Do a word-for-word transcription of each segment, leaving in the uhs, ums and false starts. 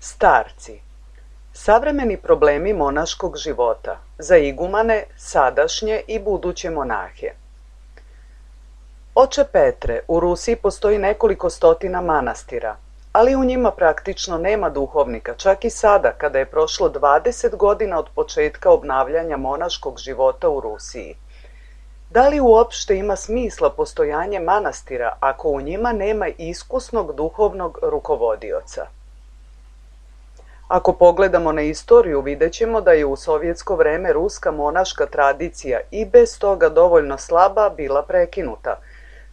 Starci. Savremeni problemi monaškog života za igumane, sadašnje i buduće monahe. Oče Petre, u Rusiji postoji nekoliko stotina manastira, ali u njima praktično nema duhovnika, čak i sada kada je prošlo dvadeset godina od početka obnavljanja monaškog života u Rusiji. Da li uopšte ima smisla postojanje manastira ako u njima nema iskusnog duhovnog rukovodioca? Ako pogledamo na istoriju, vidjet ćemo da je u sovjetsko vreme ruska monaška tradicija i bez toga dovoljno slaba bila prekinuta.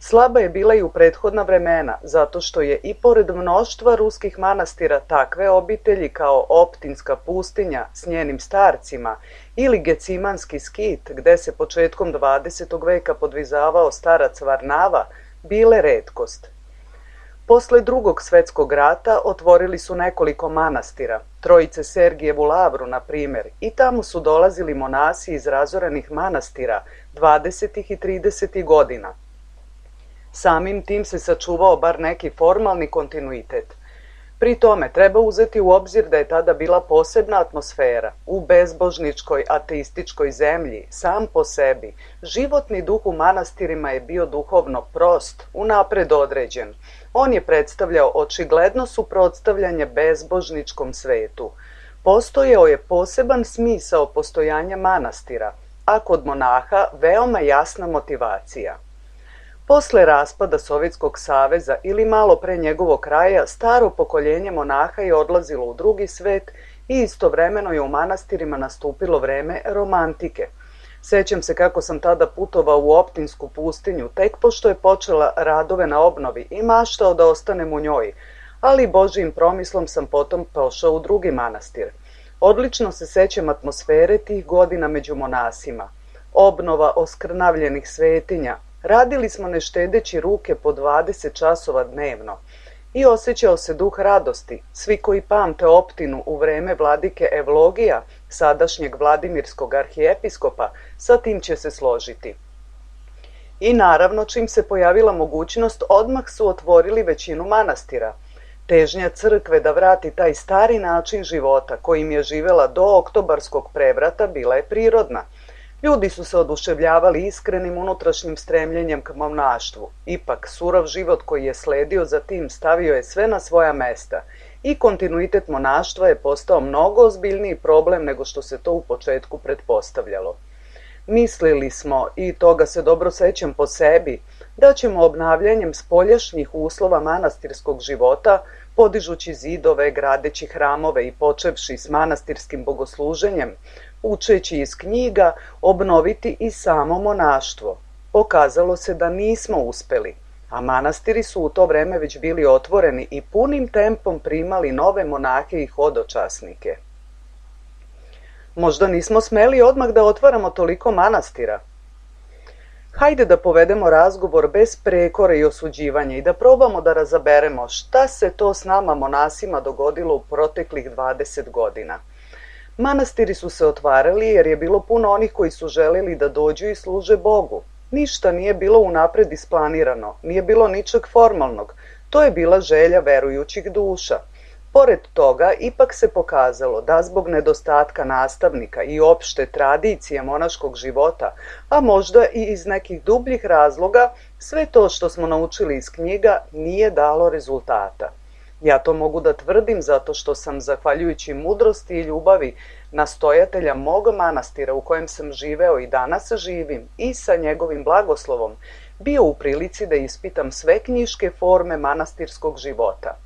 Slaba je bila i u prethodna vremena, zato što je i pored mnoštva ruskih manastira takve obitelji kao Optinska pustinja s njenim starcima ili Gecimanski skit, gde se početkom dvadesetog veka podvizavao starac Varnava, bile retkost. Posle Drugog svetskog rata otvorili su nekoliko manastira, Trojice Sergijevu lavru, na primjer, i tamo su dolazili monasi iz razorenih manastira dvadesetih i tridesetih godina. Samim tim se sačuvao bar neki formalni kontinuitet. Pri tome treba uzeti u obzir da je tada bila posebna atmosfera. U bezbožničkoj, ateističkoj zemlji, sam po sebi, životni duh u manastirima je bio duhovno prost, unapred određen. On je predstavljao očigledno suprotstavljanje bezbožničkom svetu. Postojao je poseban smisao postojanja manastira, a kod monaha veoma jasna motivacija. Posle raspada Sovjetskog saveza ili malo pre njegovog kraja, staro pokoljenje monaha je odlazilo u drugi svet i istovremeno je u manastirima nastupilo vreme romantike. Sećam se kako sam tada putovao u Optinsku pustinju, tek pošto je počela radove na obnovi i maštao da ostanem u njoj, ali Božijim promislom sam potom pošao u drugi manastir. Odlično se sećam atmosfere tih godina među monasima. Obnova oskrnavljenih svetinja. Radili smo ne štedeći ruke po dvadeset časova dnevno i osjećao se duh radosti. Svi koji pamte Optinu u vreme vladike Evlogija, sadašnjeg vladimirskog arhijepiskopa, sa tim će se složiti. I naravno, čim se pojavila mogućnost, odmah su otvorili većinu manastira. Težnja crkve da vrati taj stari način života kojim je živela do oktobarskog prevrata bila je prirodna. Ljudi su se oduševljavali iskrenim unutrašnjim stremljenjem k monaštvu. Ipak, surov život koji je sledio za tim stavio je sve na svoja mesta i kontinuitet monaštva je postao mnogo ozbiljniji problem nego što se to u početku pretpostavljalo. Mislili smo, i toga se dobro sećam po sebi, da ćemo obnavljanjem spoljašnjih uslova manastirskog života, podižući zidove, gradeći hramove i počevši s manastirskim bogosluženjem, učeći iz knjiga, obnoviti i samo monaštvo. Pokazalo se da nismo uspeli, a manastiri su u to vreme već bili otvoreni i punim tempom primali nove monahe i hodočasnike. Možda nismo smeli odmah da otvaramo toliko manastira. Hajde da povedemo razgovor bez prekora i osuđivanja i da probamo da razaberemo šta se to s nama monasima dogodilo u proteklih dvadeset godina. Manastiri su se otvarali jer je bilo puno onih koji su želeli da dođu i služe Bogu. Ništa nije bilo unapred isplanirano, nije bilo ničeg formalnog. To je bila želja verujućih duša. Pored toga, ipak se pokazalo da zbog nedostatka nastavnika i opšte tradicije monaškog života, a možda i iz nekih dubljih razloga, sve to što smo naučili iz knjiga nije dalo rezultata. Ja to mogu da tvrdim zato što sam, zahvaljujući mudrosti i ljubavi nastojatelja mog manastira u kojem sam živeo i danas živim i sa njegovim blagoslovom, bio u prilici da ispitam sve knjiške forme manastirskog života.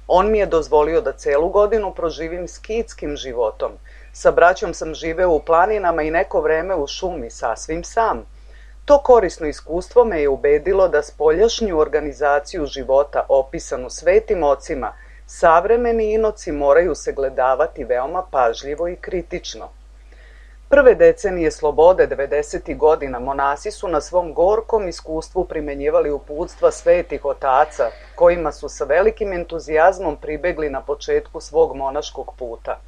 On mi je dozvolio da celu godinu proživim skitskim životom. Sa braćom sam živeo u planinama i neko vreme u šumi, sasvim sam. To korisno iskustvo me je ubedilo da spoljašnju organizaciju života, opisanu svetim ocima, savremeni inoci moraju se gledavati veoma pažljivo i kritično. Prve decenije slobode devedesetih godina monasi su na svom gorkom iskustvu primenjivali uputstva svetih otaca, kojima su sa velikim entuzijazmom pribegli na početku svog monaškog puta.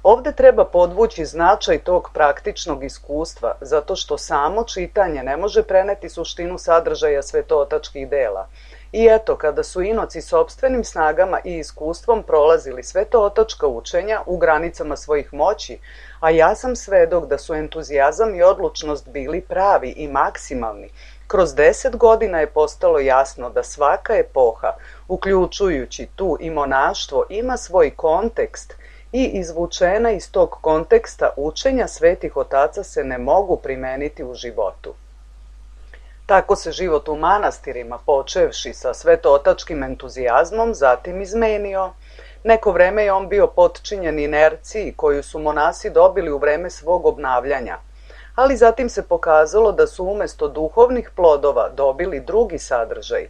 Ovde treba podvući značaj tog praktičnog iskustva, zato što samo čitanje ne može preneti suštinu sadržaja svetootačkih dela. I eto, kada su inoci sopstvenim snagama i iskustvom prolazili sve to otočka učenja u granicama svojih moći, a ja sam svedok da su entuzijazam i odlučnost bili pravi i maksimalni, kroz deset godina je postalo jasno da svaka epoha, uključujući tu i monaštvo, ima svoj kontekst i izvučena iz tog konteksta učenja svetih otaca se ne mogu primeniti u životu. Tako se život u manastirima, počevši sa svetootačkim entuzijazmom, zatim izmenio. Neko vreme je on bio potčinjen inerciji koju su monasi dobili u vreme svog obnavljanja, ali zatim se pokazalo da su umesto duhovnih plodova dobili drugi sadržaj.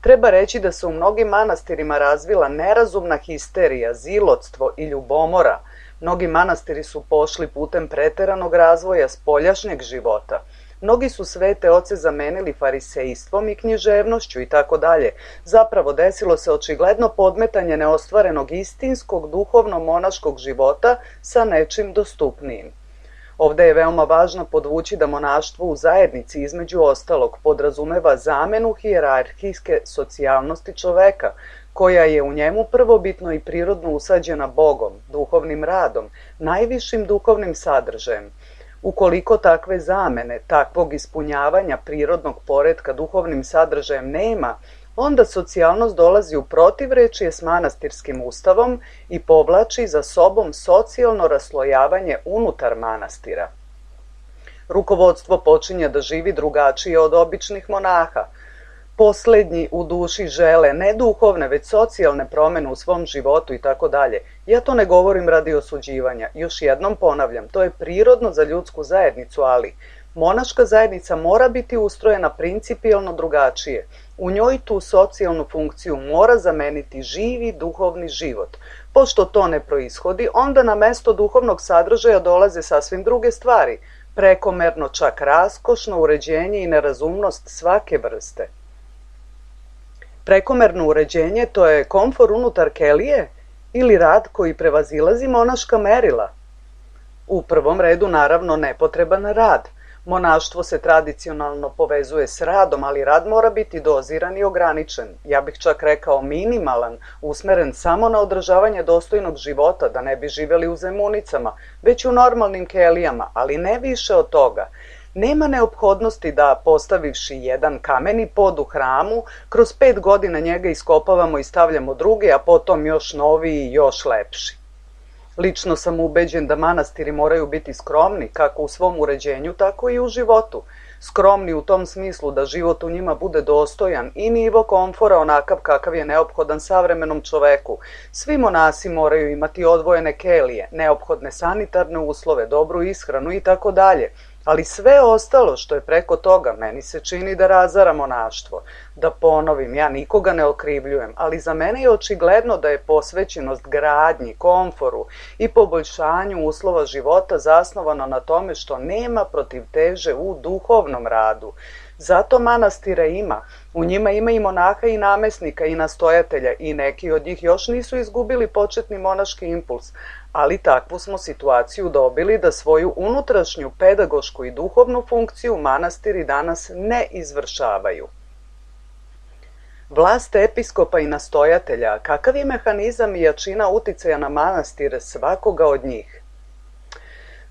Treba reći da se u mnogim manastirima razvila nerazumna histerija, zilotstvo i ljubomora. Mnogi manastiri su pošli putem preteranog razvoja spoljašnjeg života. Mnogi su svete oce zamenili farisejstvom i književnošću i tako dalje. Zapravo desilo se očigledno podmetanje neostvarenog istinskog duhovno-monaškog života sa nečim dostupnijim. Ovde je veoma važno podvući da monaštvo u zajednici između ostalog podrazumeva zamenu hijerarhijske socijalnosti čoveka, koja je u njemu prvobitno i prirodno usađena Bogom, duhovnim radom, najvišim duhovnim sadržajem. Ukoliko takve zamene, takvog ispunjavanja prirodnog poretka duhovnim sadržajem nema, onda socijalnost dolazi u protivrečje s manastirskim ustavom i povlači za sobom socijalno raslojavanje unutar manastira. Rukovodstvo počinje da živi drugačije od običnih monaha. Poslednji u duši žele ne duhovne, već socijalne promene u svom životu i tako dalje. Ja to ne govorim radi osuđivanja. Još jednom ponavljam, to je prirodno za ljudsku zajednicu, ali monaška zajednica mora biti ustrojena principijelno drugačije. U njoj tu socijalnu funkciju mora zameniti živi duhovni život. Pošto to ne proishodi, onda na mesto duhovnog sadržaja dolaze sasvim druge stvari, prekomerno čak raskošno uređenje i nerazumnost svake vrste. Prekomerno uređenje to je komfor unutar kelije ili rad koji prevazilazi monaška merila. U prvom redu naravno nepotreban rad. Monaštvo se tradicionalno povezuje s radom, ali rad mora biti doziran i ograničen. Ja bih čak rekao minimalan, usmeren samo na održavanje dostojnog života, da ne bi živeli u zemunicama, već u normalnim kelijama, ali ne više od toga. Nema neophodnosti da, postavivši jedan kameni pod u hramu, kroz pet godina njega iskopavamo i stavljamo druge, a potom još noviji i još lepši. Lično sam ubeđen da manastiri moraju biti skromni, kako u svom uređenju, tako i u životu. Skromni u tom smislu da život u njima bude dostojan i nivo komfora onakav kakav je neophodan savremenom čoveku. Svi monasi moraju imati odvojene kelije, neophodne sanitarne uslove, dobru ishranu i tako dalje. Ali sve ostalo što je preko toga meni se čini da razara monaštvo. Da ponovim, ja nikoga ne okrivljujem, ali za mene je očigledno da je posvećenost gradnji, komforu i poboljšanju uslova života zasnovano na tome što nema protivteže u duhovnom radu. Zato manastira ima. U njima ima i monaha i namesnika i nastojatelja i neki od njih još nisu izgubili početni monaški impuls, ali takvu smo situaciju dobili da svoju unutrašnju pedagošku i duhovnu funkciju manastiri danas ne izvršavaju. Vlast episkopa i nastojatelja, kakav je mehanizam i jačina uticaja na manastire svakoga od njih?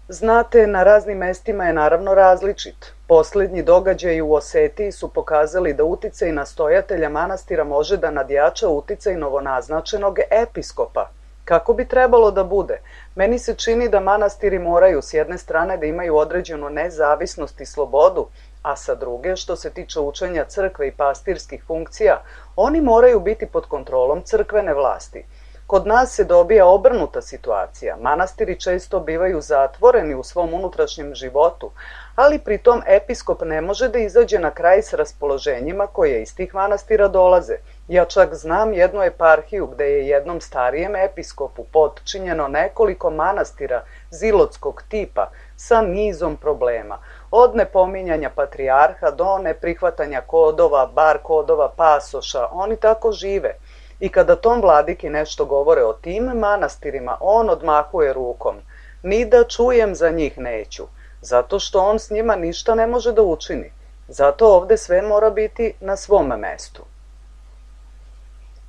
Znate, na raznim mestima je naravno različit. Poslednji događaji u Osetiji su pokazali da uticaj nastojatelja manastira može da nadjača uticaj novonaznačenog episkopa. Kako bi trebalo da bude? Meni se čini da manastiri moraju s jedne strane da imaju određenu nezavisnost i slobodu, a sa druge, što se tiče učenja crkve i pastirskih funkcija, oni moraju biti pod kontrolom crkvene vlasti. Kod nas se dobija obrnuta situacija. Manastiri često bivaju zatvoreni u svom unutrašnjem životu, ali pritom episkop ne može da izađe na kraj s raspoloženjima koje iz tih manastira dolaze. Ja čak znam jednu eparhiju gde je jednom starijem episkopu potčinjeno nekoliko manastira zilotskog tipa sa nizom problema. Od nepominjanja patrijarha do neprihvatanja kodova, bar kodova pasoša, oni tako žive. I kada tom vladiki nešto govore o tim manastirima, on odmahuje rukom. Ni da čujem za njih neću, zato što on s njima ništa ne može da učini. Zato ovde sve mora biti na svom mestu.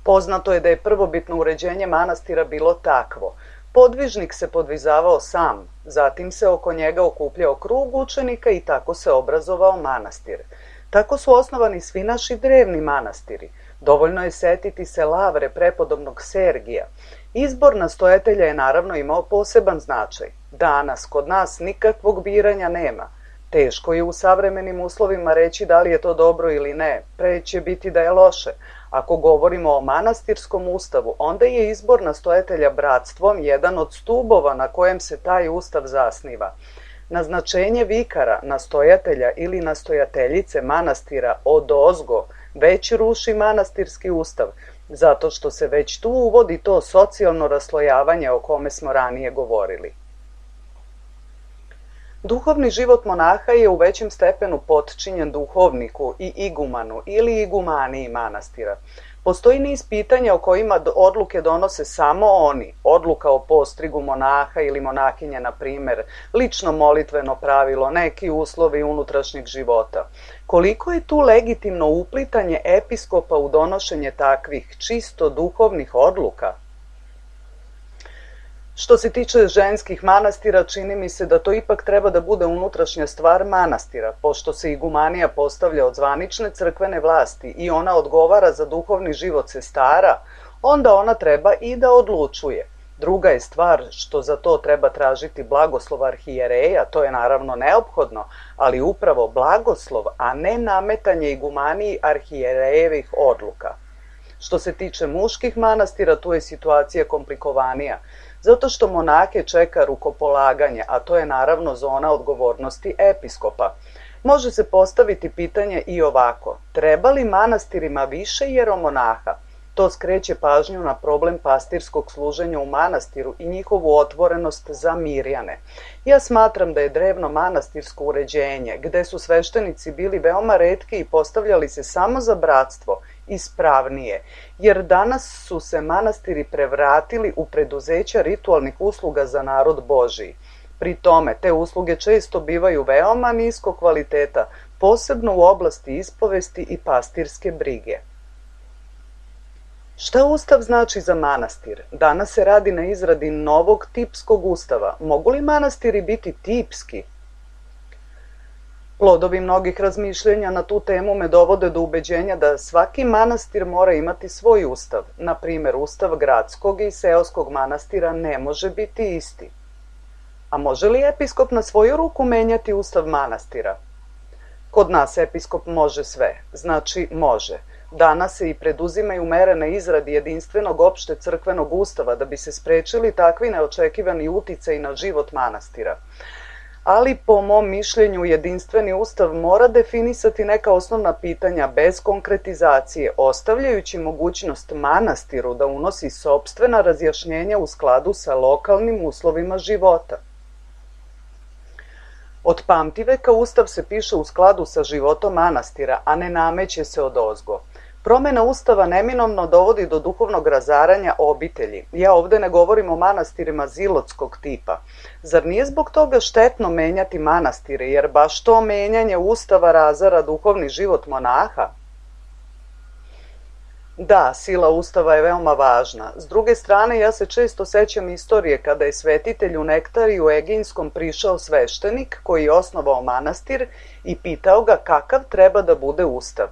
Poznato je da je prvobitno uređenje manastira bilo takvo. Podvižnik se podvizavao sam, zatim se oko njega okupljao krug učenika i tako se obrazovao manastir. Tako su osnovani svi naši drevni manastiri. Dovoljno je setiti se Lavre prepodobnog Sergija. Izbor nastojatelja je naravno imao poseban značaj. Danas kod nas nikakvog biranja nema. Teško je u savremenim uslovima reći da li je to dobro ili ne, pre će biti da je loše. Ako govorimo o manastirskom ustavu, onda je izbor nastojatelja bratstvom jedan od stubova na kojem se taj ustav zasniva. Naznačenje vikara, nastojatelja ili nastojateljice manastira odozgo već ruši manastirski ustav, zato što se već tu uvodi to socijalno raslojavanje o kome smo ranije govorili. Duhovni život monaha je u većem stepenu potčinjen duhovniku i igumanu ili igumaniji manastira. Postoji niz pitanja o kojima odluke donose samo oni, odluka o postrigu monaha ili monahinje, na primjer, lično molitveno pravilo, neki uslovi unutrašnjeg života. Koliko je tu legitimno uplitanje episkopa u donošenje takvih čisto duhovnih odluka? Što se tiče ženskih manastira, čini mi se da to ipak treba da bude unutrašnja stvar manastira, pošto se igumanija postavlja od zvanične crkvene vlasti i ona odgovara za duhovni život sestara, onda ona treba i da odlučuje. Druga je stvar što za to treba tražiti blagoslov arhijereja, to je naravno neophodno, ali upravo blagoslov, a ne nametanje igumaniji arhijerejevih odluka. Što se tiče muških manastira, tu je situacija komplikovanija, zato što monahe čeka rukopolaganje, a to je naravno zona odgovornosti episkopa. Može se postaviti pitanje i ovako: treba li manastirima više jeromonaha? To skreće pažnju na problem pastirskog služenja u manastiru i njihovu otvorenost za mirjane. Ja smatram da je drevno manastirsko uređenje, gde su sveštenici bili veoma retki i postavljali se samo za bratstvo, ispravnije, jer danas su se manastiri prevratili u preduzeća ritualnih usluga za narod Božiji. Pri tome, te usluge često bivaju veoma nisko kvaliteta, posebno u oblasti ispovesti i pastirske brige. Šta Ustav znači za manastir? Danas se radi na izradi novog tipskog ustava. Mogu li manastiri biti tipski? Plodovi mnogih razmišljenja na tu temu me dovode do ubeđenja da svaki manastir mora imati svoj ustav. Na primjer, ustav gradskog i seoskog manastira ne može biti isti. A može li episkop na svoju ruku menjati ustav manastira? Kod nas episkop može sve, znači može. Danas se i preduzimaju mere na izradi jedinstvenog opšte crkvenog ustava da bi se sprečili takvi neočekivani uticaji na život manastira. Ali po mom mišljenju jedinstveni ustav mora definisati neka osnovna pitanja bez konkretizacije, ostavljajući mogućnost manastiru da unosi sopstvena razjašnjenja u skladu sa lokalnim uslovima života. Od pamtiveka ustav se piše u skladu sa životom manastira, a ne nameće se odozgo. Promjena ustava neminovno dovodi do duhovnog razaranja obitelji. Ja ovdje ne govorim o manastirima zilotskog tipa. Zar nije zbog toga štetno menjati manastire, jer baš to menjanje ustava razara duhovni život monaha? Da, sila ustava je veoma važna. S druge strane, ja se često sećam istorije kada je svetitelj u Nektariju Eginskom prišao sveštenik koji je osnovao manastir i pitao ga kakav treba da bude ustav.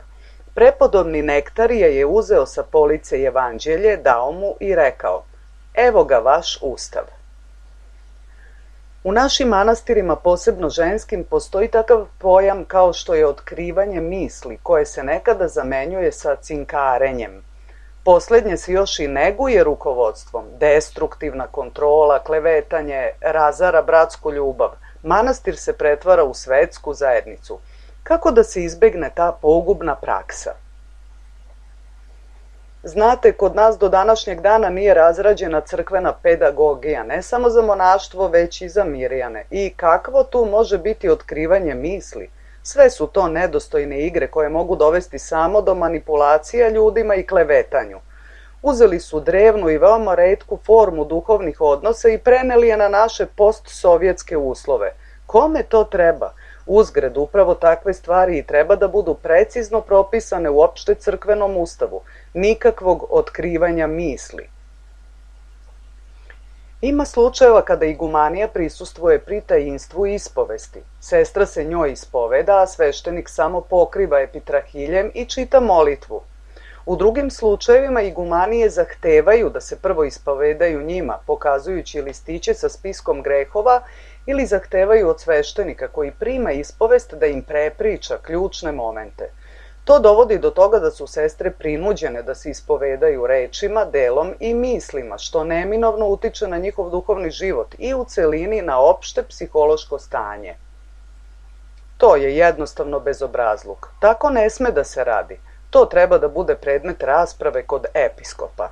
Prepodobni Nektarija je uzeo sa police evanđelje, dao mu i rekao: evo ga vaš ustav. U našim manastirima, posebno ženskim, postoji takav pojam kao što je otkrivanje misli, koje se nekada zamenjuje sa cinkarenjem. Poslednje se još i neguje rukovodstvom, destruktivna kontrola, klevetanje, razara bratsku ljubav. Manastir se pretvara u svetsku zajednicu. Kako da se izbegne ta pogubna praksa? Znate, kod nas do današnjeg dana nije razrađena crkvena pedagogija, ne samo za monaštvo, već i za mirjane. I kakvo tu može biti otkrivanje misli? Sve su to nedostojne igre koje mogu dovesti samo do manipulacija ljudima i klevetanju. Uzeli su drevnu i veoma retku formu duhovnih odnosa i preneli je na naše postsovjetske uslove. Kome to treba? Uzgred, upravo takve stvari i treba da budu precizno propisane u opšte crkvenom ustavu, nikakvog otkrivanja misli. Ima slučajeva kada igumanija prisustvuje pri tajinstvu ispovesti. Sestra se njoj ispoveda, a sveštenik samo pokriva epitrahiljem i čita molitvu. U drugim slučajevima igumanije zahtevaju da se prvo ispovedaju njima, pokazujući listiće sa spiskom grehova, ili zahtevaju od sveštenika koji prima ispovest da im prepriča ključne momente. To dovodi do toga da su sestre prinuđene da se ispovedaju rečima, delom i mislima, što neminovno utiče na njihov duhovni život i u celini na opšte psihološko stanje. To je jednostavno bezobrazluk. Tako ne sme da se radi. To treba da bude predmet rasprave kod episkopa.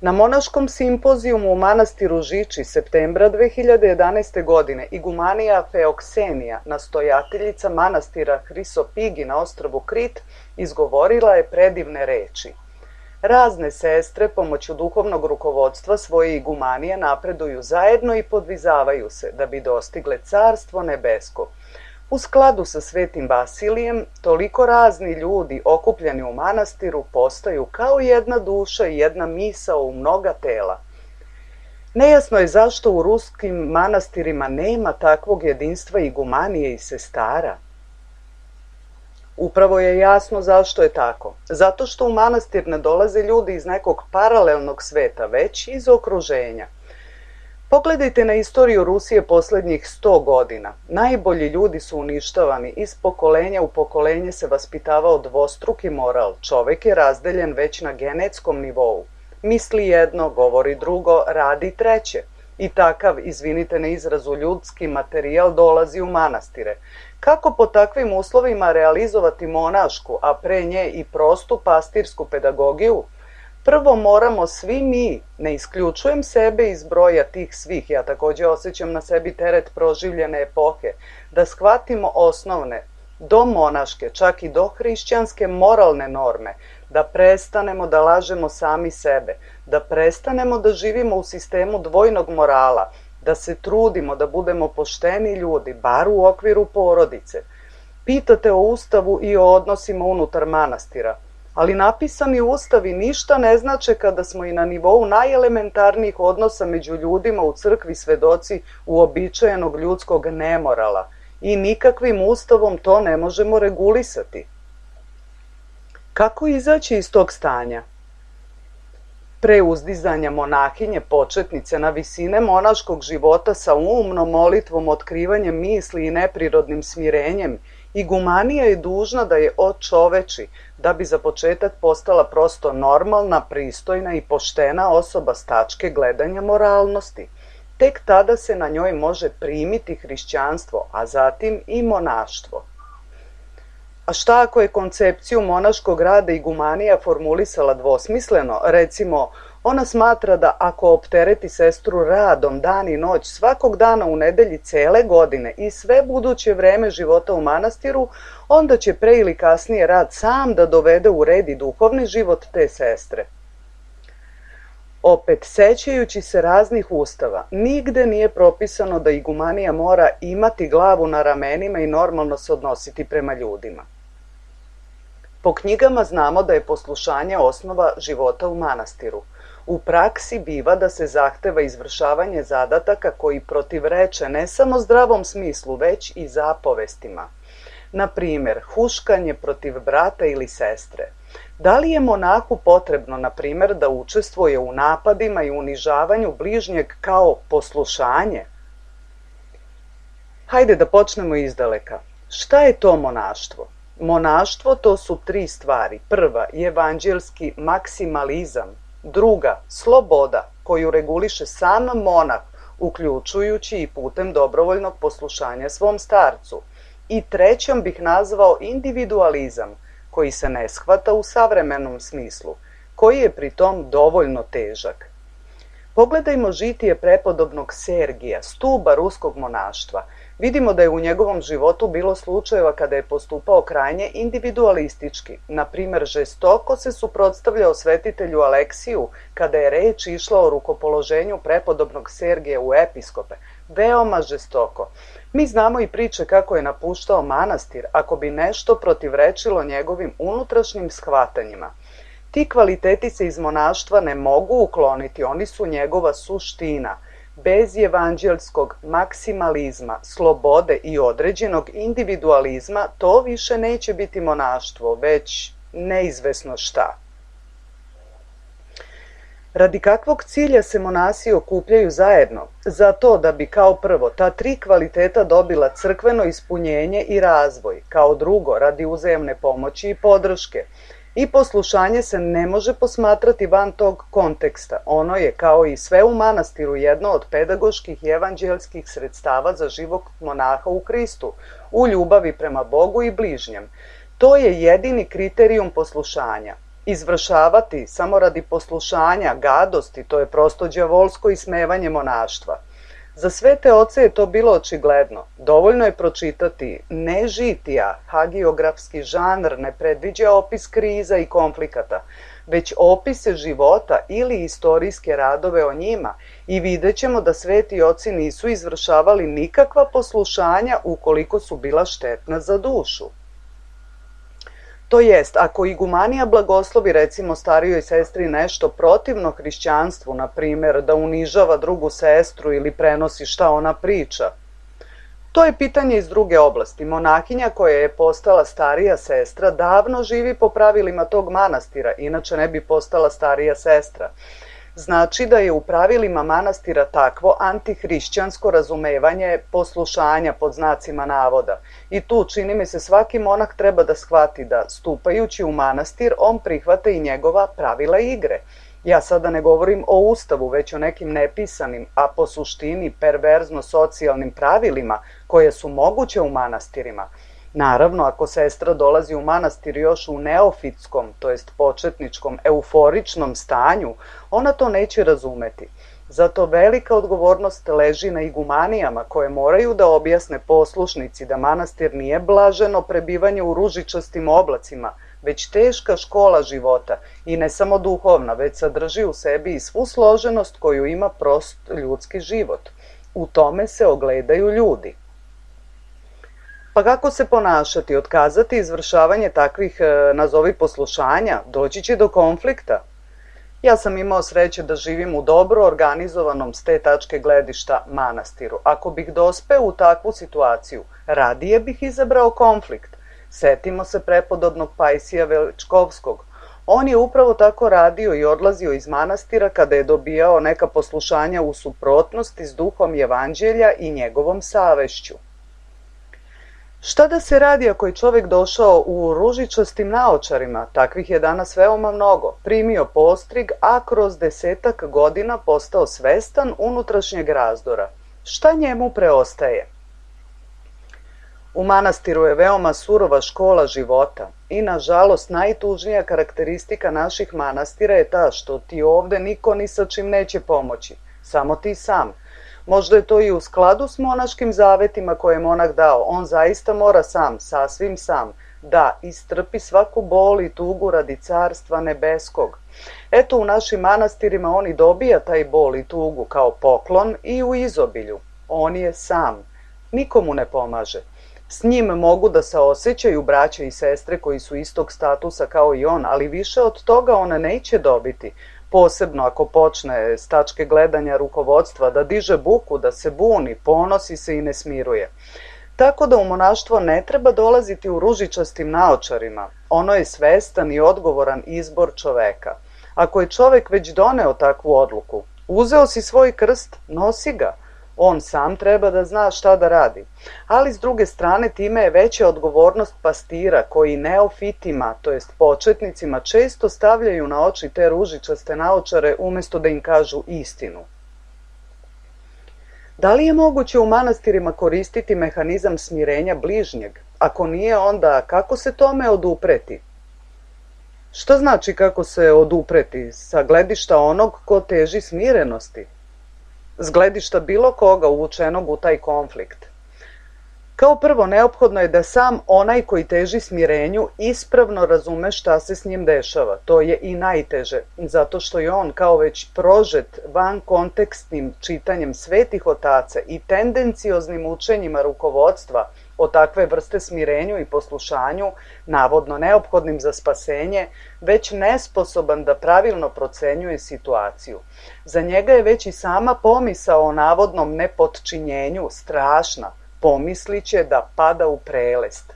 Na monaškom simpozijumu u manastiru Žiči septembra dve hiljade jedanaeste. godine igumanija Feoksenija, nastojateljica manastira Hrisopigi na ostrvu Krit, izgovorila je predivne reči. Razne sestre pomoću duhovnog rukovodstva svoje igumanije napreduju zajedno i podvizavaju se da bi dostigle carstvo nebesko. U skladu sa svetim Vasilijem, toliko razni ljudi okupljeni u manastiru postaju kao jedna duša i jedna misao u mnoga tela. Nejasno je zašto u ruskim manastirima nema takvog jedinstva igumanije i sestara. Upravo je jasno zašto je tako. Zato što u manastir ne dolaze ljudi iz nekog paralelnog sveta, već iz okruženja. Pogledajte na istoriju Rusije posljednjih sto godina. Najbolji ljudi su uništavani, iz pokolenja u pokolenje se vaspitavao dvostruki moral. Čovek je razdeljen već na genetskom nivou. Misli jedno, govori drugo, radi treće. I takav, izvinite na izrazu, ljudski materijal dolazi u manastire. Kako po takvim uslovima realizovati monašku, a pre nje i prostu pastirsku pedagogiju? Prvo moramo svi mi, ne isključujem sebe iz broja tih svih, ja takođe osjećam na sebi teret proživljene epohe, da shvatimo osnovne, do monaške, čak i do hrišćanske moralne norme, da prestanemo da lažemo sami sebe, da prestanemo da živimo u sistemu dvojnog morala, da se trudimo da budemo pošteni ljudi, bar u okviru porodice. Pitate o ustavu i o odnosima unutar manastira, ali napisani ustavi ništa ne znače kada smo i na nivou najelementarnijih odnosa među ljudima u crkvi svedoci uobičajenog ljudskog nemorala i nikakvim ustavom to ne možemo regulisati. Kako izaći iz tog stanja? Pre uzdizanja monahinje početnice na visine monaškog života sa umnom molitvom, otkrivanjem misli i neprirodnim smirenjem, igumanija je dužna da je očoveči, da bi za početak postala prosto normalna, pristojna i poštena osoba s tačke gledanja moralnosti. Tek tada se na njoj može primiti hrišćanstvo, a zatim i monaštvo. A šta ako je koncepciju monaškog rada igumanija formulisala dvosmisleno? Recimo, ona smatra da ako optereti sestru radom dan i noć svakog dana u nedelji cele godine i sve buduće vreme života u manastiru, onda će pre ili kasnije rad sam da dovede u red i duhovni život te sestre. Opet, sećajući se raznih ustava, nigde nije propisano da igumanija mora imati glavu na ramenima i normalno se odnositi prema ljudima. Po knjigama znamo da je poslušanje osnova života u manastiru. U praksi biva da se zahteva izvršavanje zadataka koji protivreče ne samo zdravom smislu, već i zapovestima. Na primjer, huškanje protiv brata ili sestre. Da li je monahu potrebno, na primjer, da učestvuje u napadima i unižavanju bližnjeg kao poslušanje? Hajde da počnemo izdaleka. Šta je to monaštvo? Monaštvo to su tri stvari. Prva, evanđelski maksimalizam. Druga, sloboda, koju reguliše sam monah, uključujući i putem dobrovoljnog poslušanja svom starcu. I trećom bih nazvao individualizam, koji se ne shvata u savremenom smislu, koji je pritom dovoljno težak. Pogledajmo žitije prepodobnog Sergija, stuba ruskog monaštva. Vidimo da je u njegovom životu bilo slučajeva kada je postupao krajnje individualistički. Na primjer, žestoko se suprotstavljao svetitelju Aleksiju kada je reč išla o rukopoloženju prepodobnog Sergija u episkope. Veoma žestoko. Mi znamo i priče kako je napuštao manastir ako bi nešto protivrečilo njegovim unutrašnjim shvatanjima. Ti kvaliteti se iz monaštva ne mogu ukloniti, oni su njegova suština. Bez evanđelskog maksimalizma, slobode i određenog individualizma to više neće biti monaštvo, već neizvesno šta. Radi kakvog cilja se monasi okupljaju zajedno? Zato da bi kao prvo ta tri kvaliteta dobila crkveno ispunjenje i razvoj, kao drugo radi uzajamne pomoći i podrške. I poslušanje se ne može posmatrati van tog konteksta. Ono je, kao i sve u manastiru, jedno od pedagoških i evanđelskih sredstava za život monaha u Kristu, u ljubavi prema Bogu i bližnjem. To je jedini kriterijum poslušanja. Izvršavati samo radi poslušanja, gadosti, to je prosto đavolsko ismevanje monaštva. Za svete oce je to bilo očigledno. Dovoljno je pročitati ne žitija, hagiografski žanr ne predviđa opis kriza i konflikata, već opise života ili istorijske radove o njima i vidjet ćemo da sveti oci nisu izvršavali nikakva poslušanja ukoliko su bila štetna za dušu. To jest, ako igumanija blagoslovi recimo starijoj sestri nešto protivno hrišćanstvu, na primjer da unižava drugu sestru ili prenosi šta ona priča, to je pitanje iz druge oblasti. Monahinja koja je postala starija sestra davno živi po pravilima tog manastira, inače ne bi postala starija sestra. Znači da je u pravilima manastira takvo antihrišćansko razumevanje poslušanja pod znacima navoda. I tu, čini mi se, svaki monah treba da shvati da, stupajući u manastir, on prihvata i njegova pravila igre. Ja sada ne govorim o ustavu, već o nekim nepisanim, a po suštini perverzno-socijalnim pravilima koje su moguće u manastirima. Naravno, ako sestra dolazi u manastir još u neofitskom, to jest početničkom, euforičnom stanju, ona to neće razumeti. Zato velika odgovornost leži na igumanijama koje moraju da objasne poslušnici da manastir nije blaženo prebivanje u ružičastim oblacima, već teška škola života i ne samo duhovna, već sadrži u sebi i svu složenost koju ima prost ljudski život. U tome se ogledaju ljudi. Pa kako se ponašati, otkazati izvršavanje takvih, nazovi poslušanja, doći će do konflikta? Ja sam imao sreće da živim u dobro organizovanom s te tačke gledišta manastiru. Ako bih dospeo u takvu situaciju, radije bih izabrao konflikt. Setimo se prepodobnog Pajsija Veličkovskog. On je upravo tako radio i odlazio iz manastira kada je dobijao neka poslušanja u suprotnosti s duhom evanđelja i njegovom savešću. Šta da se radi ako je čovjek došao u ružičastim naočarima, takvih je danas veoma mnogo, primio postrig, a kroz desetak godina postao svestan unutrašnjeg razdora? Šta njemu preostaje? U manastiru je veoma surova škola života i, nažalost, najtužnija karakteristika naših manastira je ta što ti ovde niko ni sa čim neće pomoći, samo ti sam. Možda je to i u skladu s monaškim zavetima koje je monah dao. On zaista mora sam, sasvim sam, da istrpi svaku bol i tugu radi carstva nebeskog. Eto, u našim manastirima on i dobija taj bol i tugu kao poklon i u izobilju. On je sam, nikomu ne pomaže. S njim mogu da saosećaju braća i sestre koji su istog statusa kao i on, ali više od toga on neće dobiti. Posebno ako počne s tačke gledanja rukovodstva da diže buku, da se buni, ponosi se i ne smiruje. Tako da u monaštvo ne treba dolaziti u ružičastim naočarima. Ono je svestan i odgovoran izbor čoveka. Ako je čovek već doneo takvu odluku, uzeo si svoj krst, nosi ga. On sam treba da zna šta da radi. Ali s druge strane time je veća odgovornost pastira koji neofitima, to jest početnicima, često stavljaju na oči te ružičaste naočare umjesto da im kažu istinu. Da li je moguće u manastirima koristiti mehanizam smirenja bližnjeg? Ako nije, onda kako se tome odupreti? Šta znači kako se odupreti? Sa gledišta onog ko teži smirenosti? S gledišta bilo koga uvučenog u taj konflikt. Kao prvo, neophodno je da sam onaj koji teži smirenju ispravno razume šta se s njim dešava. To je i najteže, zato što je on kao već prožet van kontekstnim čitanjem svetih otaca i tendencioznim učenjima rukovodstva o takve vrste smirenju i poslušanju, navodno neophodnim za spasenje, već nesposoban da pravilno procenjuje situaciju. Za njega je već i sama pomisao o navodnom nepotčinjenju strašna, pomisliće da pada u prelest.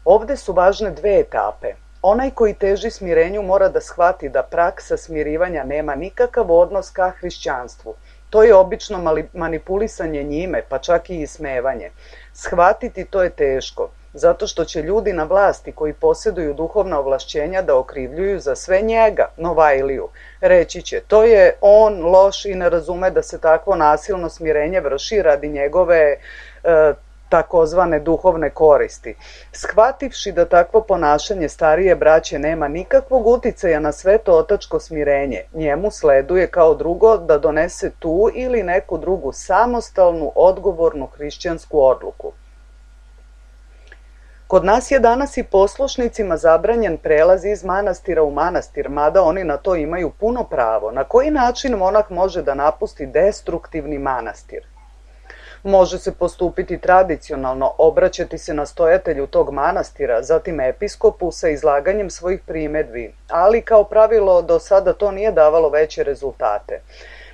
Ovde su važne dve etape. Onaj koji teži smirenju mora da shvati da praksa smirivanja nema nikakav odnos ka hrišćanstvu. To je obično manipulisanje njime, pa čak i ismevanje. Shvatiti to je teško, zato što će ljudi na vlasti koji posjeduju duhovna ovlašćenja da okrivljuju za sve njega, Novajliju. Reći će, to je on loš i ne razume da se takvo nasilno smirenje vrši radi njegove e, takozvane duhovne koristi. Shvativši da takvo ponašanje starije braće nema nikakvog uticaja na sveto otačko smirenje, njemu sleduje kao drugo da donese tu ili neku drugu samostalnu, odgovornu hrišćansku odluku. Kod nas je danas i poslušnicima zabranjen prelaz iz manastira u manastir, mada oni na to imaju puno pravo. Na koji način monah može da napusti destruktivni manastir? Može se postupiti tradicionalno, obraćati se nastojatelju tog manastira, zatim episkopu sa izlaganjem svojih primedbi, ali kao pravilo do sada to nije davalo veće rezultate.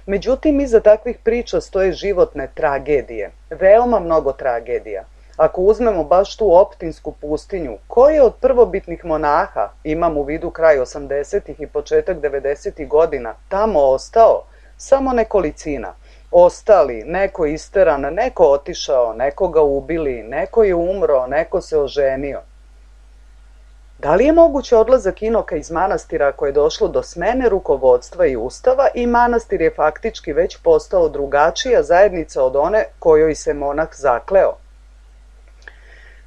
Međutim, iza takvih priča stoje životne tragedije, veoma mnogo tragedija. Ako uzmemo baš tu optinsku pustinju, ko je od prvobitnih monaha, imam u vidu kraj osamdesetih i početak devedesetih godina, tamo ostao? Samo nekolicina. Ostali, neko isteran, neko otišao, neko ga ubili, neko je umro, neko se oženio. Da li je moguće odlazak inoka iz manastira ako je došlo do smene rukovodstva i ustava i manastir je faktički već postao drugačija zajednica od one kojoj se monah zakleo?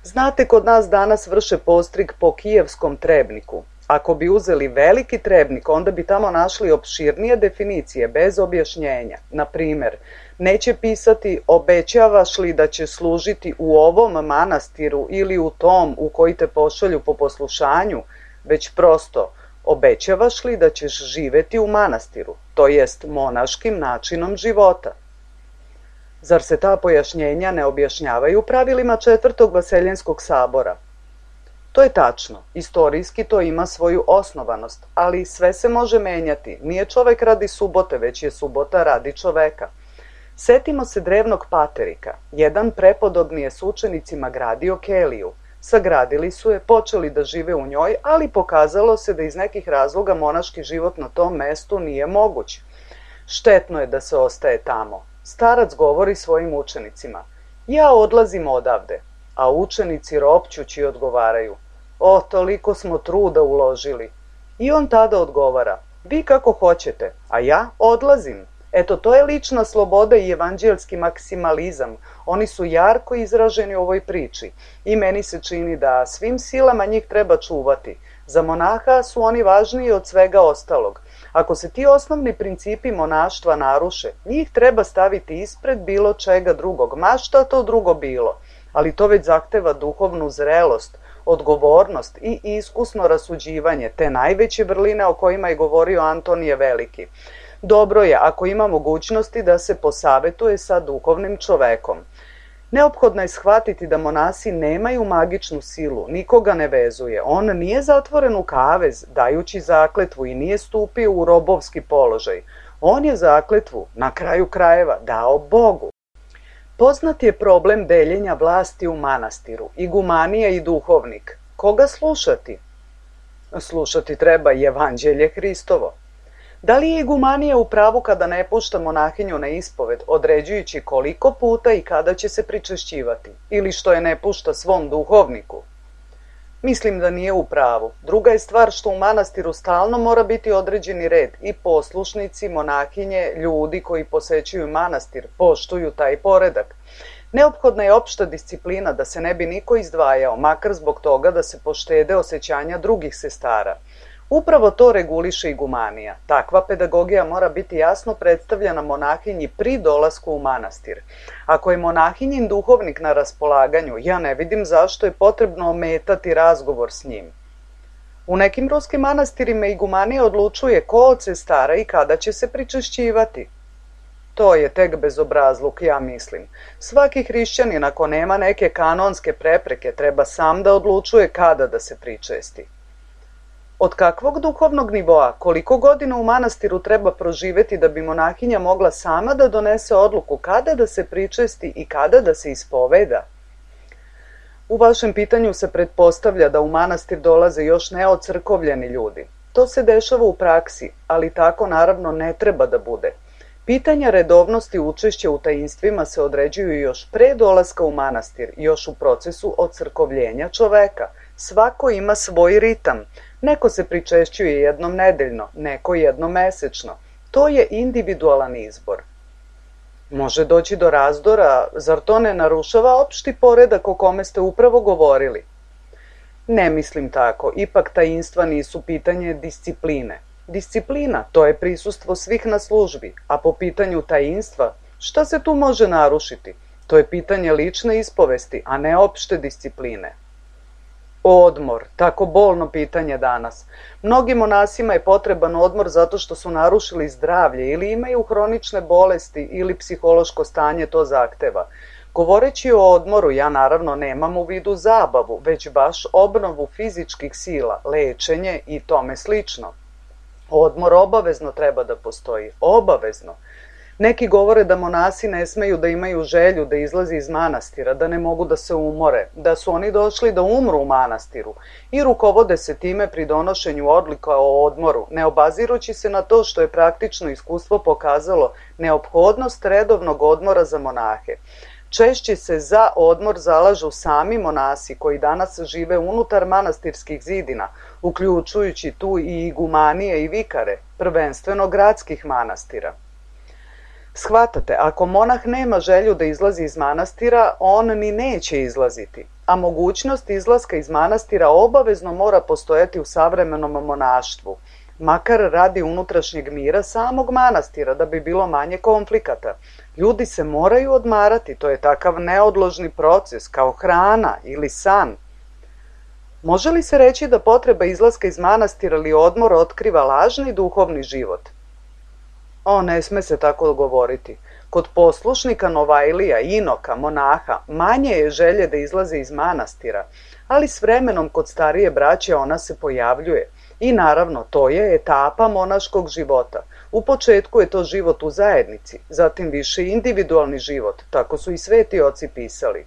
Znate, kod nas danas vrše postrig po kijevskom trebniku. Ako bi uzeli veliki trebnik, onda bi tamo našli opširnije definicije, bez objašnjenja. Na primer, neće pisati obećavaš li da će služiti u ovom manastiru ili u tom u koji te pošalju po poslušanju, već prosto obećavaš li da ćeš živeti u manastiru, to jest monaškim načinom života. Zar se ta pojašnjenja ne objašnjavaju pravilima četvrtog Vaseljenskog sabora? To je tačno, istorijski to ima svoju osnovanost, ali sve se može menjati. Nije čovek radi subote, već je subota radi čoveka. Setimo se drevnog Paterika. Jedan prepodobni je s učenicima gradio keliju. Sagradili su je, počeli da žive u njoj, ali pokazalo se da iz nekih razloga monaški život na tom mestu nije moguć. Štetno je da se ostaje tamo. Starac govori svojim učenicima, ja odlazim odavde, a učenici ropćući odgovaraju, o, toliko smo truda uložili. I on tada odgovara, vi kako hoćete, a ja odlazim. Eto, to je lična sloboda i evanđelski maksimalizam. Oni su jarko izraženi u ovoj priči i meni se čini da svim silama njih treba čuvati. Za monaha su oni važniji od svega ostalog. Ako se ti osnovni principi monaštva naruše, njih treba staviti ispred bilo čega drugog, ma šta to drugo bilo. Ali to već zahteva duhovnu zrelost, odgovornost i iskusno rasuđivanje, te najveće vrline o kojima je govorio Antonije Veliki. Dobro je ako ima mogućnosti da se posavetuje sa duhovnim čovekom. Neophodno je shvatiti da monasi nemaju magičnu silu, nikoga ne vezuje. On nije zatvoren u kavez, dajući zakletvu i nije stupio u robovski položaj. On je zakletvu, na kraju krajeva, dao Bogu. Poznat je problem deljenja vlasti u manastiru, igumanija i duhovnik. Koga slušati? Slušati treba i evanđelje Hristovo. Da li je igumanija u pravu kada ne pušta monahinju na ispoved, određujući koliko puta i kada će se pričešćivati, ili što je ne pušta svom duhovniku? Mislim da nije u pravu. Druga je stvar što u manastiru stalno mora biti određeni red i poslušnici, monahinje, ljudi koji posećuju manastir, poštuju taj poredak. Neophodna je opšta disciplina da se ne bi niko izdvajao, makar zbog toga da se poštede osjećanja drugih sestara. Upravo to reguliše igumanija. Takva pedagogija mora biti jasno predstavljena monahinji pri dolasku u manastir. Ako je monahinjin duhovnik na raspolaganju, ja ne vidim zašto je potrebno ometati razgovor s njim. U nekim ruskim manastirima igumanija odlučuje ko od sestara i kada će se pričešćivati. To je tek bezobrazluk, ja mislim. Svaki hrišćanin, ako nema neke kanonske prepreke, treba sam da odlučuje kada da se pričesti. Od kakvog duhovnog nivoa, koliko godina u manastiru treba proživeti da bi monahinja mogla sama da donese odluku kada da se pričesti i kada da se ispoveda? U vašem pitanju se pretpostavlja da u manastir dolaze još neocrkovljeni ljudi. To se dešava u praksi, ali tako naravno ne treba da bude. Pitanja redovnosti učešća u tajinstvima se određuju još pre dolaska u manastir, još u procesu ocrkovljenja čoveka. Svako ima svoj ritam. Neko se pričešćuje jednom nedeljno, neko jednom mesečno. To je individualan izbor. Može doći do razdora, zar to ne narušava opšti poredak o kome ste upravo govorili? Ne mislim tako, ipak tajinstva nisu pitanje discipline. Disciplina, to je prisustvo svih na službi, a po pitanju tajinstva, šta se tu može narušiti? To je pitanje lične ispovesti, a ne opšte discipline. Odmor, tako bolno pitanje danas. Mnogim monasima je potreban odmor zato što su narušili zdravlje ili imaju hronične bolesti ili psihološko stanje to zahteva. Govoreći o odmoru, ja naravno nemam u vidu zabavu, već baš obnovu fizičkih sila, lečenje i tome slično. Odmor obavezno treba da postoji, obavezno. Neki govore da monasi ne smeju da imaju želju da izlazi iz manastira, da ne mogu da se umore, da su oni došli da umru u manastiru i rukovode se time pri donošenju odluka o odmoru, ne obazirući se na to što je praktično iskustvo pokazalo neophodnost redovnog odmora za monahe. Češće se za odmor zalažu sami monasi koji danas žive unutar manastirskih zidina, uključujući tu i igumanije i vikare, prvenstveno gradskih manastira. Shvatate, ako monah nema želju da izlazi iz manastira, on ni neće izlaziti, a mogućnost izlaska iz manastira obavezno mora postojati u savremenom monaštvu, makar radi unutrašnjeg mira samog manastira, da bi bilo manje konflikata. Ljudi se moraju odmarati, to je takav neodložni proces, kao hrana ili san. Može li se reći da potreba izlaska iz manastira ili odmora otkriva lažni duhovni život? O, ne sme se tako govoriti. Kod poslušnika Novajlija, inoka, monaha, manje je želje da izlaze iz manastira, ali s vremenom kod starije braće ona se pojavljuje. I naravno, to je etapa monaškog života. U početku je to život u zajednici, zatim više individualni život, tako su i sveti oci pisali.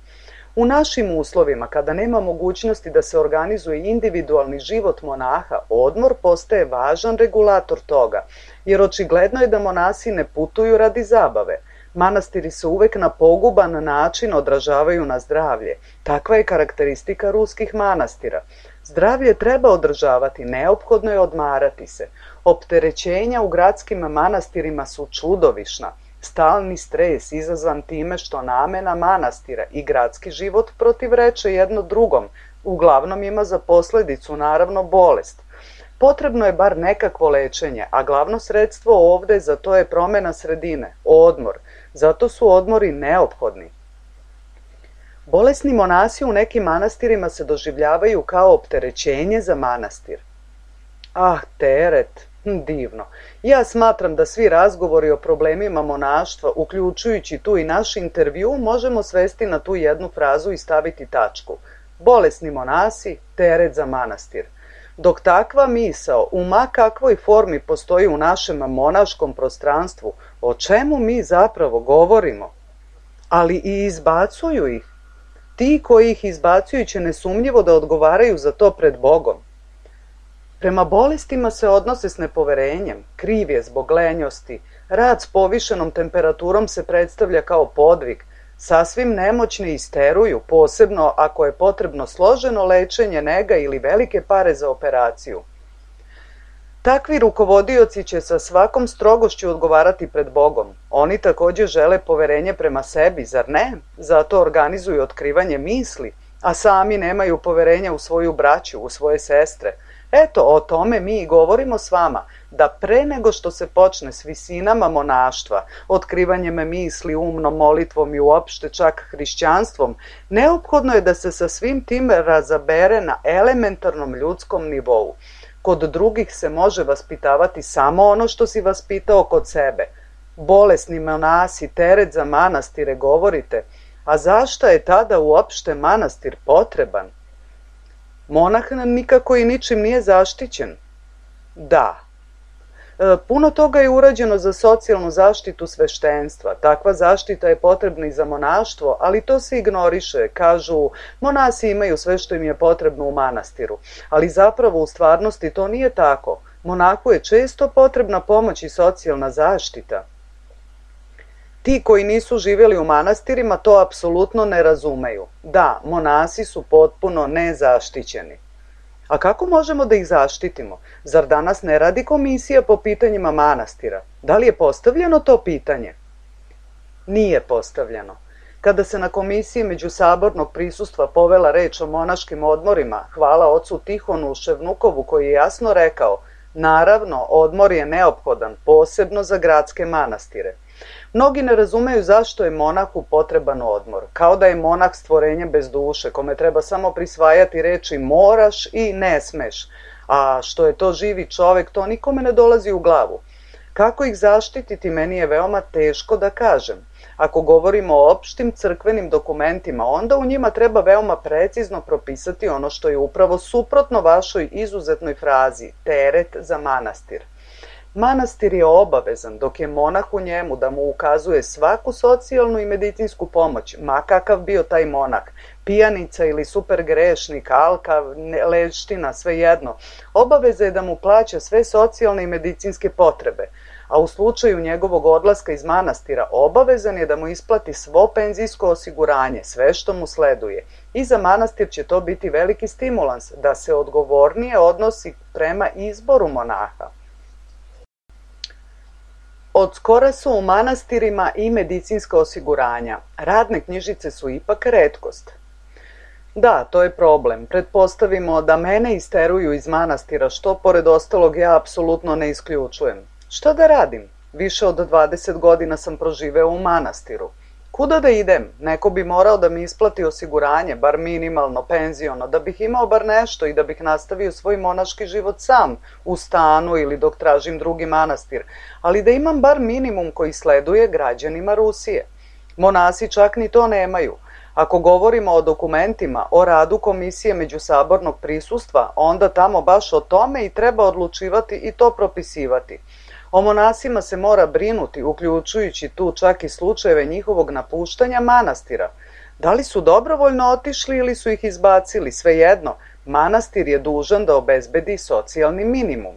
U našim uslovima, kada nema mogućnosti da se organizuje individualni život monaha, odmor postaje važan regulator toga, jer očigledno je da monasi ne putuju radi zabave. Manastiri se uvek na poguban način odražavaju na zdravlje. Takva je karakteristika ruskih manastira. Zdravlje treba održavati, neophodno je odmarati se. Opterećenja u gradskim manastirima su čudovišna. Stalni stres izazvan time što namena manastira i gradski život protivreče jedno drugom, uglavnom ima za posledicu naravno bolest. Potrebno je bar nekakvo lečenje, a glavno sredstvo ovde za to je promena sredine, odmor. Zato su odmori neophodni. Bolesni monasi u nekim manastirima se doživljavaju kao opterećenje za manastir. Ah, teret, divno. Ja smatram da svi razgovori o problemima monaštva, uključujući tu i naš intervju, možemo svesti na tu jednu frazu i staviti tačku. Bolesni monasi, teret za manastir. Dok takva misao u ma kakvoj formi postoji u našem monaškom prostranstvu, o čemu mi zapravo govorimo? Ali i izbacuju ih. Ti koji ih izbacuju će nesumnjivo da odgovaraju za to pred Bogom. Prema bolestima se odnose s nepoverenjem, kriv je zbog lenjosti, rad s povišenom temperaturom se predstavlja kao podvig, sasvim nemoćni isteruju, posebno ako je potrebno složeno lečenje, nega ili velike pare za operaciju. Takvi rukovodioci će sa svakom strogošću odgovarati pred Bogom. Oni također žele poverenje prema sebi, zar ne? Zato organizuju otkrivanje misli, a sami nemaju poverenja u svoju braću, u svoje sestre. Eto, o tome mi i govorimo s vama, da pre nego što se počne s visinama monaštva, otkrivanjem misli, umnom molitvom i uopšte čak hrišćanstvom, neophodno je da se sa svim tim razabere na elementarnom ljudskom nivou. Kod drugih se može vaspitavati samo ono što si vaspitao kod sebe. Bolesni monasi, teret za manastire, govorite, a zašto je tada uopšte manastir potreban? Monah nikako i ničim nije zaštićen. Da. E, puno toga je urađeno za socijalnu zaštitu sveštenstva. Takva zaštita je potrebna i za monaštvo, ali to se ignoriše. Kažu, monasi imaju sve što im je potrebno u manastiru. Ali zapravo u stvarnosti to nije tako. Monahu je često potrebna pomoć i socijalna zaštita. Ti koji nisu živjeli u manastirima to apsolutno ne razumeju. Da, monasi su potpuno nezaštićeni. A kako možemo da ih zaštitimo? Zar danas ne radi komisija po pitanjima manastira? Da li je postavljeno to pitanje? Nije postavljeno. Kada se na komisiji međusabornog prisustva povela reč o monaškim odmorima, hvala ocu Tihonu Ševnukovu koji je jasno rekao, naravno, odmor je neophodan, posebno za gradske manastire. Mnogi ne razumeju zašto je monahu potreban odmor, kao da je monah stvorenje bez duše, kome treba samo prisvajati reči moraš i ne smeš, a što je to živi čovek, to nikome ne dolazi u glavu. Kako ih zaštititi, meni je veoma teško da kažem. Ako govorimo o opštim crkvenim dokumentima, onda u njima treba veoma precizno propisati ono što je upravo suprotno vašoj izuzetnoj frazi, teret za manastir. Manastir je obavezan, dok je monah u njemu da mu ukazuje svaku socijalnu i medicinsku pomoć, ma kakav bio taj monah, pijanica ili supergrešnik, alka, leština, svejedno. Obaveza je da mu plaća sve socijalne i medicinske potrebe, a u slučaju njegovog odlaska iz manastira obavezan je da mu isplati svo penzijsko osiguranje, sve što mu sleduje. I za manastir će to biti veliki stimulans da se odgovornije odnosi prema izboru monaha. Od skora su u manastirima i medicinska osiguranja. Radne knjižice su ipak retkost. Da, to je problem. Pretpostavimo da mene isteruju iz manastira, što pored ostalog ja apsolutno ne isključujem. Šta da radim? Više od dvadeset godina sam proživeo u manastiru. Kuda da idem? Neko bi morao da mi isplati osiguranje, bar minimalno, penziono, da bih imao bar nešto i da bih nastavio svoj monaški život sam, u stanu ili dok tražim drugi manastir, ali da imam bar minimum koji sleduje građanima Rusije. Monasi čak ni to nemaju. Ako govorimo o dokumentima, o radu komisije međusabornog prisustva, onda tamo baš o tome i treba odlučivati i to propisivati. O monasima se mora brinuti, uključujući tu čak i slučajeve njihovog napuštanja manastira. Da li su dobrovoljno otišli ili su ih izbacili, svejedno, manastir je dužan da obezbedi socijalni minimum.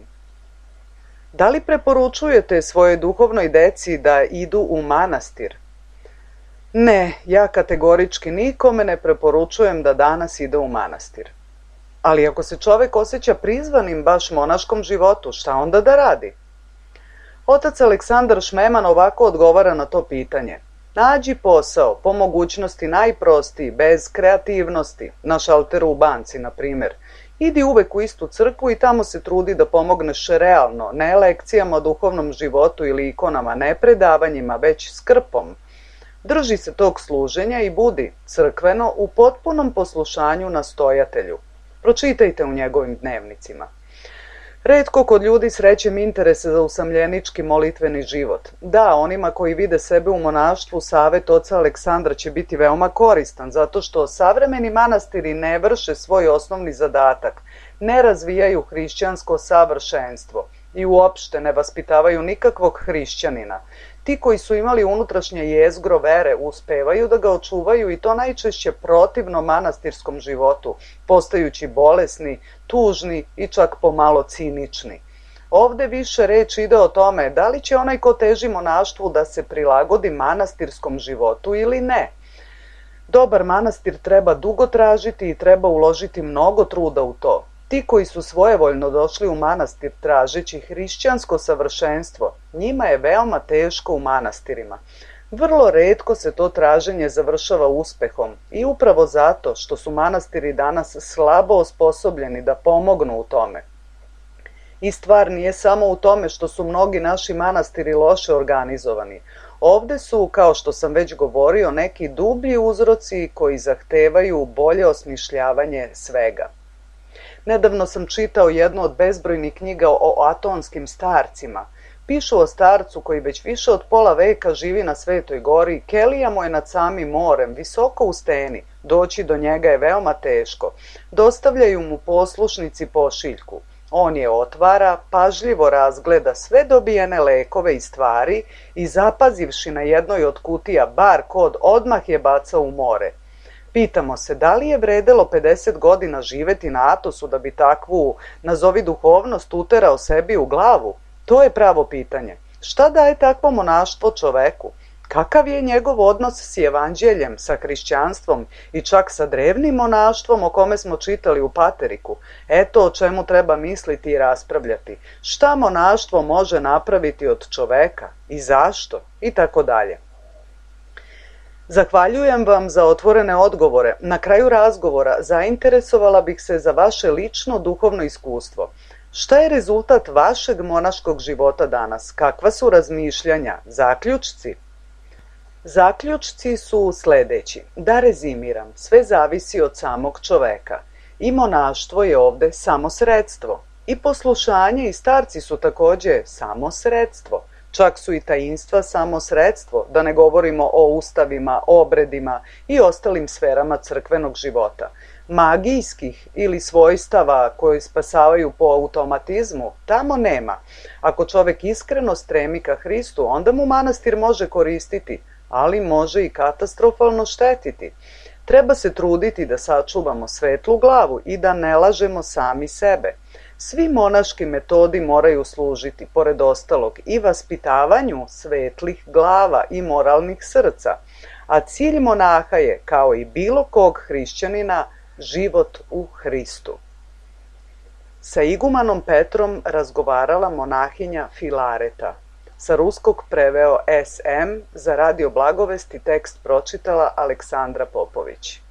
Da li preporučujete svojoj duhovnoj deci da idu u manastir? Ne, ja kategorički nikome ne preporučujem da danas ide u manastir. Ali ako se čovek osjeća prizvanim baš monaškom životu, šta onda da radi? Otac Aleksandar Šmeman ovako odgovara na to pitanje. Nađi posao, po mogućnosti najprostiji, bez kreativnosti, na šalteru u banci, na primjer. Idi uvek u istu crkvu i tamo se trudi da pomogneš realno, ne lekcijama o duhovnom životu ili ikonama, ne predavanjima, već skrpom. Drži se tog služenja i budi crkveno u potpunom poslušanju nastojatelju. Pročitajte u njegovim dnevnicima. Retko kod ljudi srećem interese za usamljenički molitveni život. Da, onima koji vide sebe u monaštvu, savet oca Aleksandra će biti veoma koristan, zato što savremeni manastiri ne vrše svoj osnovni zadatak, ne razvijaju hrišćansko savršenstvo i uopšte ne vaspitavaju nikakvog hrišćanina. Ti koji su imali unutrašnje jezgro vere uspevaju da ga očuvaju i to najčešće protivno manastirskom životu, postajući bolesni, tužni i čak pomalo cinični. Ovde više reč ide o tome da li će onaj ko teži monaštvu da se prilagodi manastirskom životu ili ne. Dobar manastir treba dugo tražiti i treba uložiti mnogo truda u to. Ti koji su svojevoljno došli u manastir tražeći hrišćansko savršenstvo, njima je veoma teško u manastirima. Vrlo retko se to traženje završava uspehom i upravo zato što su manastiri danas slabo osposobljeni da pomognu u tome. I stvar nije samo u tome što su mnogi naši manastiri loše organizovani. Ovde su, kao što sam već govorio, neki dublji uzroci koji zahtevaju bolje osmišljavanje svega. Nedavno sam čitao jednu od bezbrojnih knjiga o atonskim starcima. Pišu o starcu koji već više od pola veka živi na Svetoj gori, kelija mu je nad samim morem, visoko u steni, doći do njega je veoma teško. Dostavljaju mu poslušnici pošiljku. On je otvara, pažljivo razgleda sve dobijene lekove i stvari i zapazivši na jednoj od kutija bar kod, odmah je bacao u more. Pitamo se da li je vredelo pedeset godina živeti na Atosu da bi takvu, nazovi duhovnost, uterao sebi u glavu? To je pravo pitanje. Šta daje takvo monaštvo čoveku? Kakav je njegov odnos s evanđeljem, sa hrišćanstvom i čak sa drevnim monaštvom o kome smo čitali u Pateriku? Eto o čemu treba misliti i raspravljati. Šta monaštvo može napraviti od čoveka i zašto i tako dalje. Zahvaljujem vam za otvorene odgovore. Na kraju razgovora zainteresovala bih se za vaše lično duhovno iskustvo. Šta je rezultat vašeg monaškog života danas? Kakva su razmišljanja, zaključci? Zaključci su sljedeći. Da rezimiram, sve zavisi od samog čoveka. I monaštvo je ovde samo sredstvo. I poslušanje i starci su također samo sredstvo. Čak su i tajinstva samo sredstvo, da ne govorimo o ustavima, obredima i ostalim sferama crkvenog života. Magijskih ili svojstava koji spasavaju po automatizmu, tamo nema. Ako čovek iskreno stremi ka Hristu, onda mu manastir može koristiti, ali može i katastrofalno štetiti. Treba se truditi da sačuvamo svetlu glavu i da ne lažemo sami sebe. Svi monaški metodi moraju služiti, pored ostalog, i vaspitavanju svetlih glava i moralnih srca, a cilj monaha je, kao i bilo kog hrišćanina, život u Hristu. Sa igumanom Petrom razgovarala monahinja Filareta. Sa ruskog preveo S M, za Radio Blagovesti tekst pročitala Aleksandra Popović.